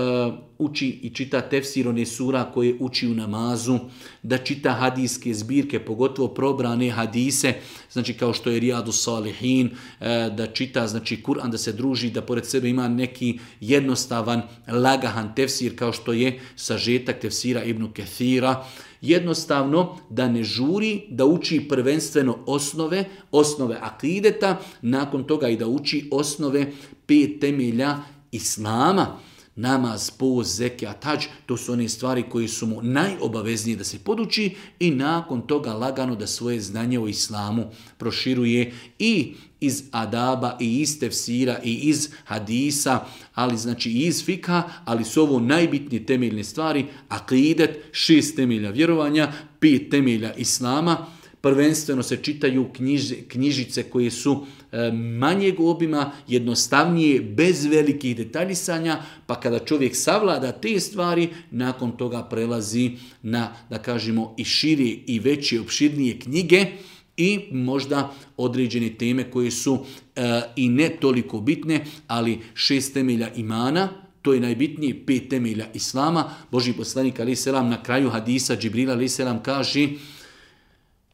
uči i čita tefsir one sura koje uči u namazu, da čita hadijske zbirke, pogotovo probrane hadise, znači kao što je Rijadu Salihin, e, da čita znači Kur'an, da se druži, da pored sebe ima neki jednostavan, lagahan tefsir kao što je sažetak tefsira Ibn Kethira. Jednostavno da ne žuri, da uči prvenstveno osnove, osnove akideta, nakon toga i da uči osnove pet temelja islama. Namaz, post, zekijat, hadž, to su one stvari koje su mu najobaveznije da se poduči i nakon toga lagano da svoje znanje o islamu proširuje i iz adaba i iz tefsira i iz hadisa, ali znači i iz fikha, ali su ovo najbitnije temeljne stvari, akidet, šest temelja vjerovanja, pet temelja islama. Prvenstveno se čitaju knjiž, knjižice koje su e, manjeg obima, jednostavnije, bez velikih detaljisanja, pa kada čovjek savlada te stvari, nakon toga prelazi na, da kažemo, i šire i veće, opširnije knjige i možda određene teme koje su e, i ne toliko bitne, ali šest temelja imana, to je najbitnije, pet temelja islama. Božji poslanik alejhi selam na kraju hadisa Džibrila alejhi selam kaže: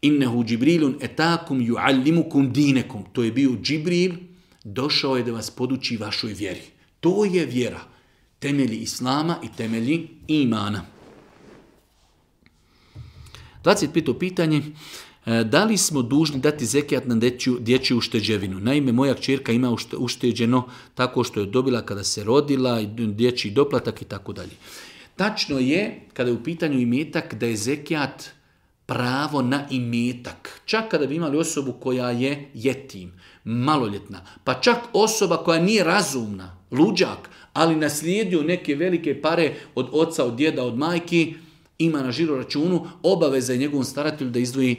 Innehu Džibrilun etakum juallimukum dinekum. To je bio Džibril, došao je da vas poduči vašoj vjeri. To je vjera. Temelji islama i temelji imana. dvadeset peto pitanje. Da li smo dužni dati zekijat na dječju, dječju ušteđevinu? Naime, moja kćerka ima ušteđeno tako što je dobila kada se rodila, dječji doplatak i tako dalje. Tačno je, kada je u pitanju imetak, da je zekijat pravo na imetak. Čak kada bi imali osobu koja je jetim, maloljetna, pa čak osoba koja nije razumna, luđak, ali naslijedio neke velike pare od oca, od djeda, od majki, ima na žiro računu, obaveza je njegovom staratelju da izdvoji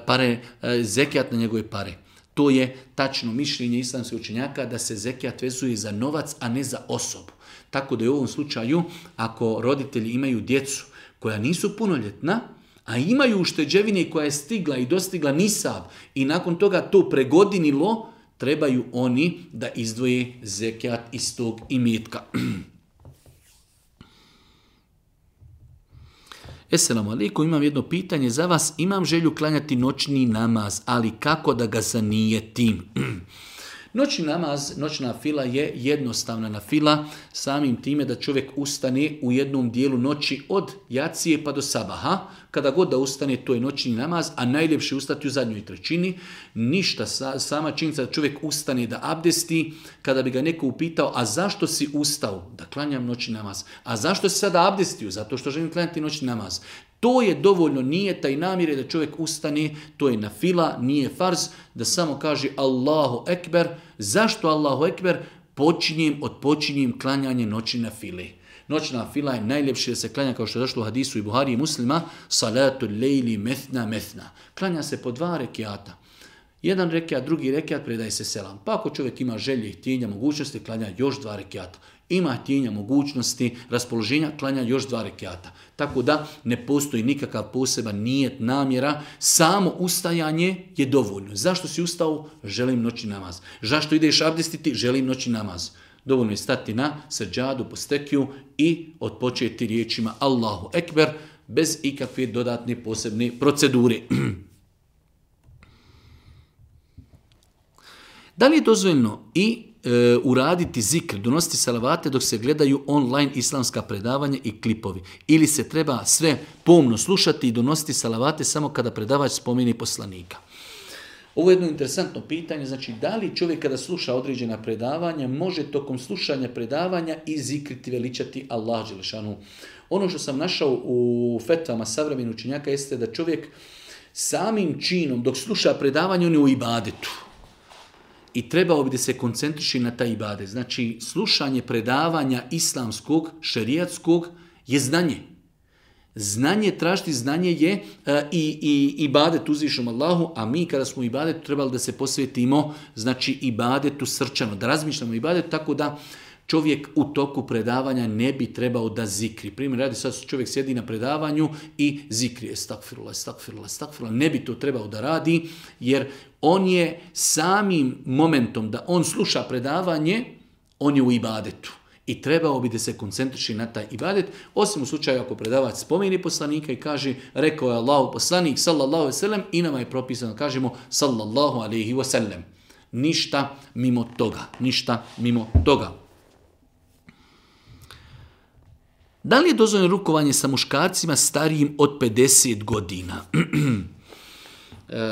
pare, zekijat na njegove pare. To je tačno mišljenje islamskih učenjaka da se zekijat vezuje za novac, a ne za osobu. Tako da je u ovom slučaju, ako roditelji imaju djecu koja nisu punoljetna, a imaju ušteđevine koja je stigla i dostigla nisab i nakon toga to pregodinilo, trebaju oni da izdvoje zekijat iz tog imetka. Esselamu alaikum, imam jedno pitanje za vas. Imam želju klanjati noćni namaz, ali kako da ga zanijetim? Noćni namaz, noćna fila je jednostavna na fila, samim time da čovjek ustane u jednom dijelu noći od jacije pa do sabaha. Kada god da ustane, to je noćni namaz, a najljepše ustati u zadnjoj trećini. Ništa, sama činjenica da čovjek ustane da abdesti, kada bi ga neko upitao, a zašto si ustao? Da klanjam noćni namaz. A zašto si sada abdestio? Zato što želim klanjati noćni namaz. To je dovoljno, nije taj namjere da čovjek ustane, to je na fila, nije farz, da samo kaže Allahu ekber. Zašto Allahu ekber? Počinjem, odpočinjem klanjanje noći na file. Noćna fila je najljepše da se klanja, kao što je došlo u hadisu i Buhari i Muslima, salatu lejli methna methna. Klanja se po dva rekiata. Jedan rekiat, drugi rekiat, predaje se selam. Pa ako čovjek ima želje, htjenja, mogućnosti, klanja još dva rekiata. Ima htjenja, mogućnosti, raspoloženja, klanja još dva rekiata. Tako da ne postoji nikakav poseban nijet, namjera, samo ustajanje je dovoljno. Zašto si ustao? Želim noćni namaz. Zašto ideš abdestiti? Želim noćni namaz. Dovoljno je stati na seđadu, po stekiju i odpočeti riječima Allahu ekber, bez ikakve dodatne posebne procedure. Da li je dozvoljeno i e, uraditi zikr, donositi salavate dok se gledaju online islamska predavanja i klipovi? Ili se treba sve pomno slušati i donositi salavate samo kada predavač spomeni poslanika? Ovo je jedno interesantno pitanje, znači da li čovjek kada sluša određena predavanja može tokom slušanja predavanja i zikriti, veličati Allah dželešanu. Ono što sam našao u fetvama savremenih učenjaka jeste da čovjek samim činom dok sluša predavanje on je u ibadetu. I trebao bi da se koncentriši na taj ibadet. Znači slušanje predavanja islamskog, šerijatskog je znanje. Znanje, tražiti znanje je uh, i, i ibadet uzvišom Allahu, a mi kada smo u ibadetu trebali da se posvetimo, znači ibadetu srčano, da razmišljamo ibadetu, tako da čovjek u toku predavanja ne bi trebao da zikri. Primjer radi, sad čovjek sjedi na predavanju i zikri, estakfirullah, estakfirullah, estakfirullah, ne bi to trebao da radi, jer on je samim momentom da on sluša predavanje, on je u ibadetu. I trebao bi da se koncentriši na taj ibadet, osim u slučaju ako predavač spomeni poslanika i kaže, rekao je Allahu poslanik, sallallahu alejhi ve sellem, i nama je propisano, kažemo, sallallahu alejhi ve sellem. Ništa mimo toga, ništa mimo toga. Da li je dozvoljeno rukovanje sa muškarcima starijim od pedeset godina?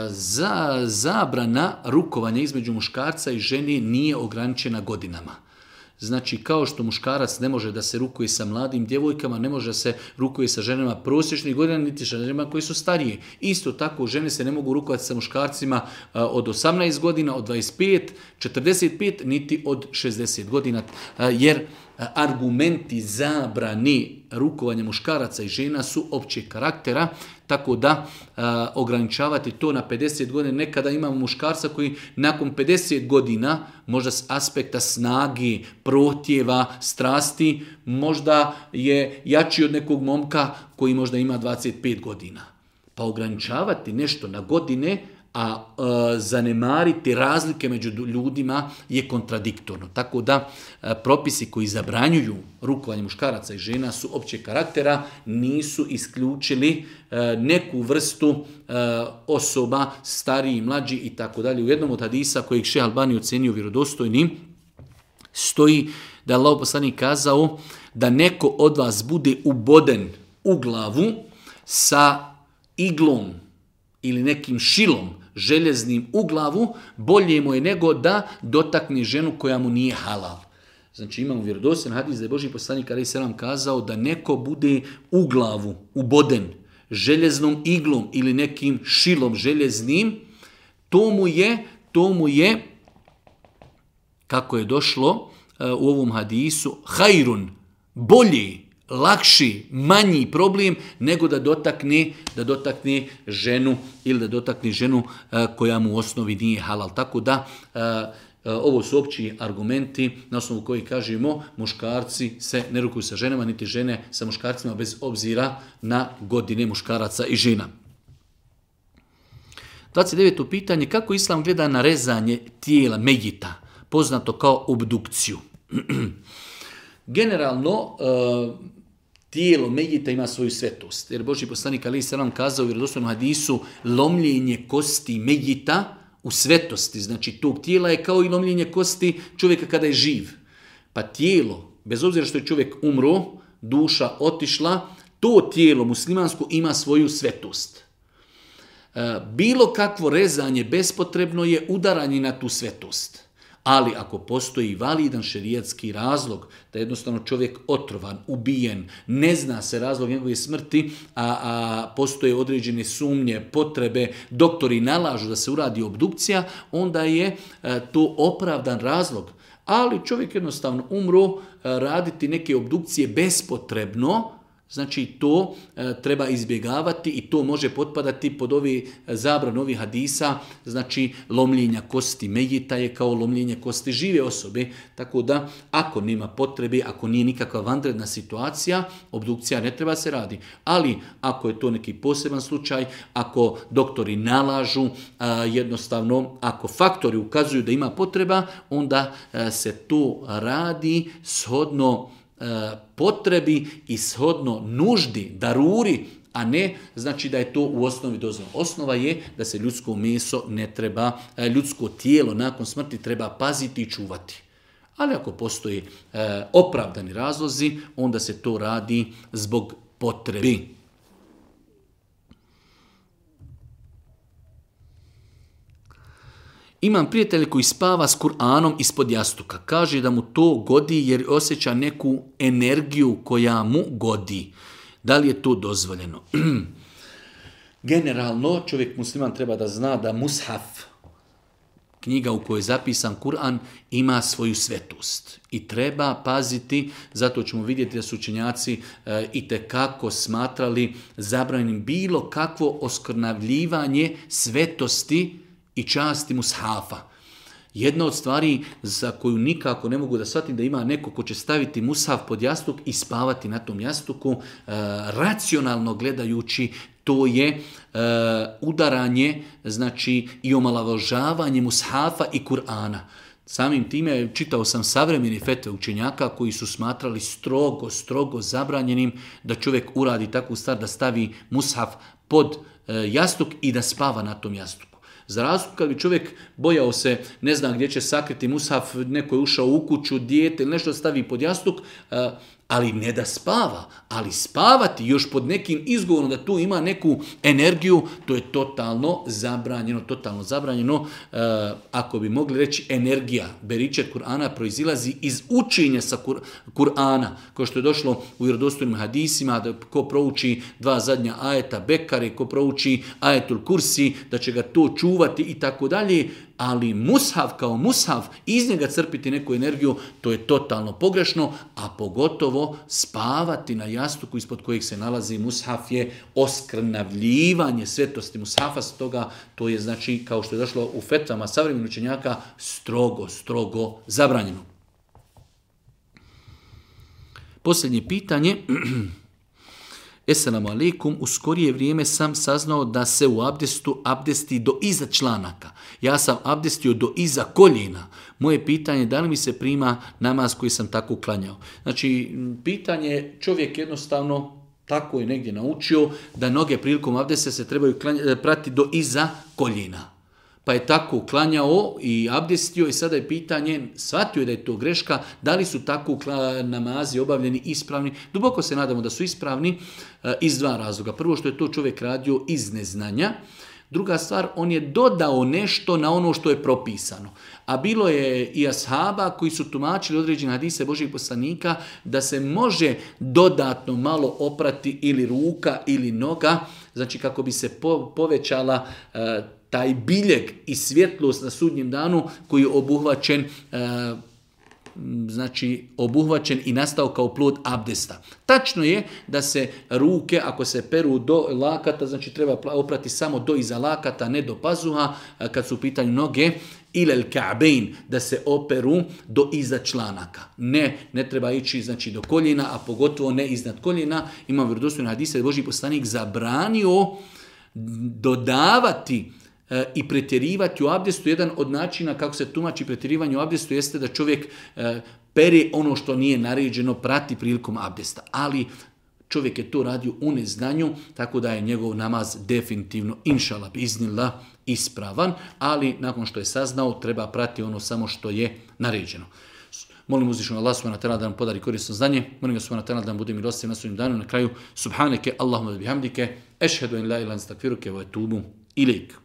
Za, zabrana rukovanja između muškarca i žene nije ograničena godinama. Znači, kao što muškarac ne može da se rukuje sa mladim djevojkama, ne može da se rukuje sa ženama prosječnih godina, niti sa ženama koji su starije. Isto tako, žene se ne mogu rukovati sa muškarcima od osamnaest godina, od dvadeset pet, četrdeset pet, niti od šezdeset godina, jer argumenti zabrani rukovanja muškaraca i žena su općeg karaktera, tako da a, ograničavati to na pedeset godina. Nekada imamo muškarca koji nakon pedeset godina, možda s aspekta snage, protjeva, strasti, možda je jači od nekog momka koji možda ima dvadeset pet godina. Pa ograničavati nešto na godine, a e, zanemariti razlike među ljudima je kontradiktorno. Tako da e, propisi koji zabranjuju rukovanje muškaraca i žena su općeg karaktera, nisu isključili e, neku vrstu e, osoba, stariji, mlađi i tako dalje. U jednom od hadisa kojeg Šejh Albani ocenio vjerodostojnim stoji da je Allahov poslanik kazao da neko od vas bude uboden u glavu sa iglom ili nekim šilom željeznim u glavu, bolje mu je nego da dotakne ženu koja mu nije halal. Znači imamo vjerodostojan hadis da je Božji poslanik alejhi selam kazao da neko bude u glavu uboden željeznom iglom ili nekim šilom željeznim, to mu je, to mu je, kako je došlo uh, u ovom hadisu, hajrun, bolji, lakši, manji problem nego da dotakne, da dotakne ženu ili da dotakne ženu uh, koja mu u osnovi nije halal. Tako da uh, uh, ovo su opći argumenti na osnovu koji kažemo muškarci se ne rukuju sa ženama, niti žene sa muškarcima bez obzira na godine muškaraca i žena. dvadeset deveto pitanje, kako Islam gleda na rezanje tijela mejita, poznato kao obdukciju? Generalno, uh, tijelo mejita ima svoju svetost. Jer Božji poslanik alejhi selam kazao u vjerodostojnom hadisu, lomljenje kosti mejita u svetosti, znači tog tijela je kao i lomljenje kosti čovjeka kada je živ. Pa tijelo, bez obzira što je čovjek umro, duša otišla, to tijelo muslimansko ima svoju svetost. Bilo kakvo rezanje bespotrebno je udaranje na tu svetost. Ali ako postoji validan šerijatski razlog da je jednostavno čovjek otrovan, ubijen, ne zna se razlog njegove smrti, a, a postoje određene sumnje, potrebe, doktori nalažu da se uradi obdukcija, onda je a, to opravdan razlog. Ali čovjek jednostavno umro, a, raditi neke obdukcije bespotrebno, znači to e, treba izbjegavati i to može potpadati pod ovi zabran ovih hadisa, znači lomljenja kosti mejita je kao lomljenje kosti žive osobe, tako da ako nema potrebe, ako nije nikakva vanredna situacija, obdukcija ne treba se radi. Ali ako je to neki poseban slučaj, ako doktori nalažu, a, jednostavno ako faktori ukazuju da ima potreba, onda a, se to radi shodno potrebi i shodno nuždi, daruri, a ne znači da je to u osnovi dozvoljeno. Osnova je da se ljudsko meso ne treba, ljudsko tijelo nakon smrti treba paziti i čuvati. Ali ako postoji e, opravdani razlozi, onda se to radi zbog potrebi. Imam prijatelja koji spava s Kur'anom ispod jastuka. Kaže da mu to godi jer osjeća neku energiju koja mu godi. Da li je to dozvoljeno? Generalno, čovjek musliman treba da zna da mushaf, knjiga u kojoj je zapisan Kur'an, ima svoju svetost. I treba paziti, zato ćemo vidjeti da su učenjaci e, itekako smatrali zabranjenim bilo kakvo oskrnavljivanje svetosti i časti mushafa. Jedna od stvari za koju nikako ne mogu da shvatim da ima neko ko će staviti mushaf pod jastuk i spavati na tom jastuku, e, racionalno gledajući, to je e, udaranje, znači i omalovažavanje mushafa i Kur'ana. Samim time čitao sam savremeni fetve učenjaka koji su smatrali strogo, strogo zabranjenim da čovjek uradi takvu stvar da stavi mushaf pod e, jastuk i da spava na tom jastuku. Za razliku kad bi čovjek bojao se, ne zna gdje će sakriti mushaf, neko je ušao u kuću, dijete ili nešto stavi pod jastuk, e, ali ne da spava, ali spavati još pod nekim izgovorom da tu ima neku energiju, to je totalno zabranjeno, totalno zabranjeno. E, ako bi mogli reći energija, beričet Kur'ana proizilazi iz učenja sa Kur, Kur'ana, kao što je došlo u vjerodostojnim hadisima, da ko prouči dva zadnja ajeta Bekare, ko prouči ajetul Kursi, da će ga to čuvati i tako dalje. Ali mushaf kao mushaf, iz njega crpiti neku energiju, to je totalno pogrešno, a pogotovo spavati na jastuku ispod kojeg se nalazi mushaf je oskrnavljivanje svetosti mushafa, stoga to je, znači, kao što je došlo u fetvama savremenih učenjaka, strogo, strogo zabranjeno. Posljednje pitanje. Esselamu alaikum, u skorije vrijeme sam saznao da se u abdestu abdesti do iza članaka. Ja sam abdestio do iza koljena. Moje pitanje je da li mi se prima namaz koji sam tako klanjao. Znači, pitanje čovjek jednostavno tako je negdje naučio da noge prilikom abdesta se trebaju prati do iza koljena. Pa je tako klanjao i abdestio i sada je pitanje, shvatio je da je to greška, da li su tako namazi obavljeni ispravni. Duboko se nadamo da su ispravni iz dva razloga. Prvo što je to čovjek radio iz neznanja. Druga stvar, on je dodao nešto na ono što je propisano. A bilo je i ashaba koji su tumačili određene hadise Božjih poslanika da se može dodatno malo oprati ili ruka ili noga, znači kako bi se po, povećala uh, taj biljeg i svjetlost na sudnjem danu koji je obuhvaćen, uh, znači obuhvaćen i nastao kao plod abdesta. Tačno je da se ruke, ako se peru do lakata, znači treba oprati samo do iza lakata, ne do pazuha, kad su u pitanju noge, ilel ka'bein, da se operu do iza članaka. Ne, ne treba ići, znači, do koljena, a pogotovo ne iznad koljena. Imam vjerodostojne hadise da je Božji poslanik zabranio dodavati i pretjerivati u abdestu. Jedan od načina kako se tumači pretjerivanje u abdestu jeste da čovjek pere ono što nije naređeno prati prilikom abdesta. Ali čovjek je to radio u neznanju, tako da je njegov namaz definitivno, inšala biznillah, ispravan, ali nakon što je saznao treba prati ono samo što je naređeno. Molim uzvišenog Allah subhanahu wa ta'ala da nam podari korisno znanje. Molim ga subhanahu wa ta'ala da nam bude milostiv na sudnjem danu. Na kraju, subhaneke, Allahumma bihamdike, ešhedu in la ilaha illa anta, astaghfiruke wa etubu ilejk.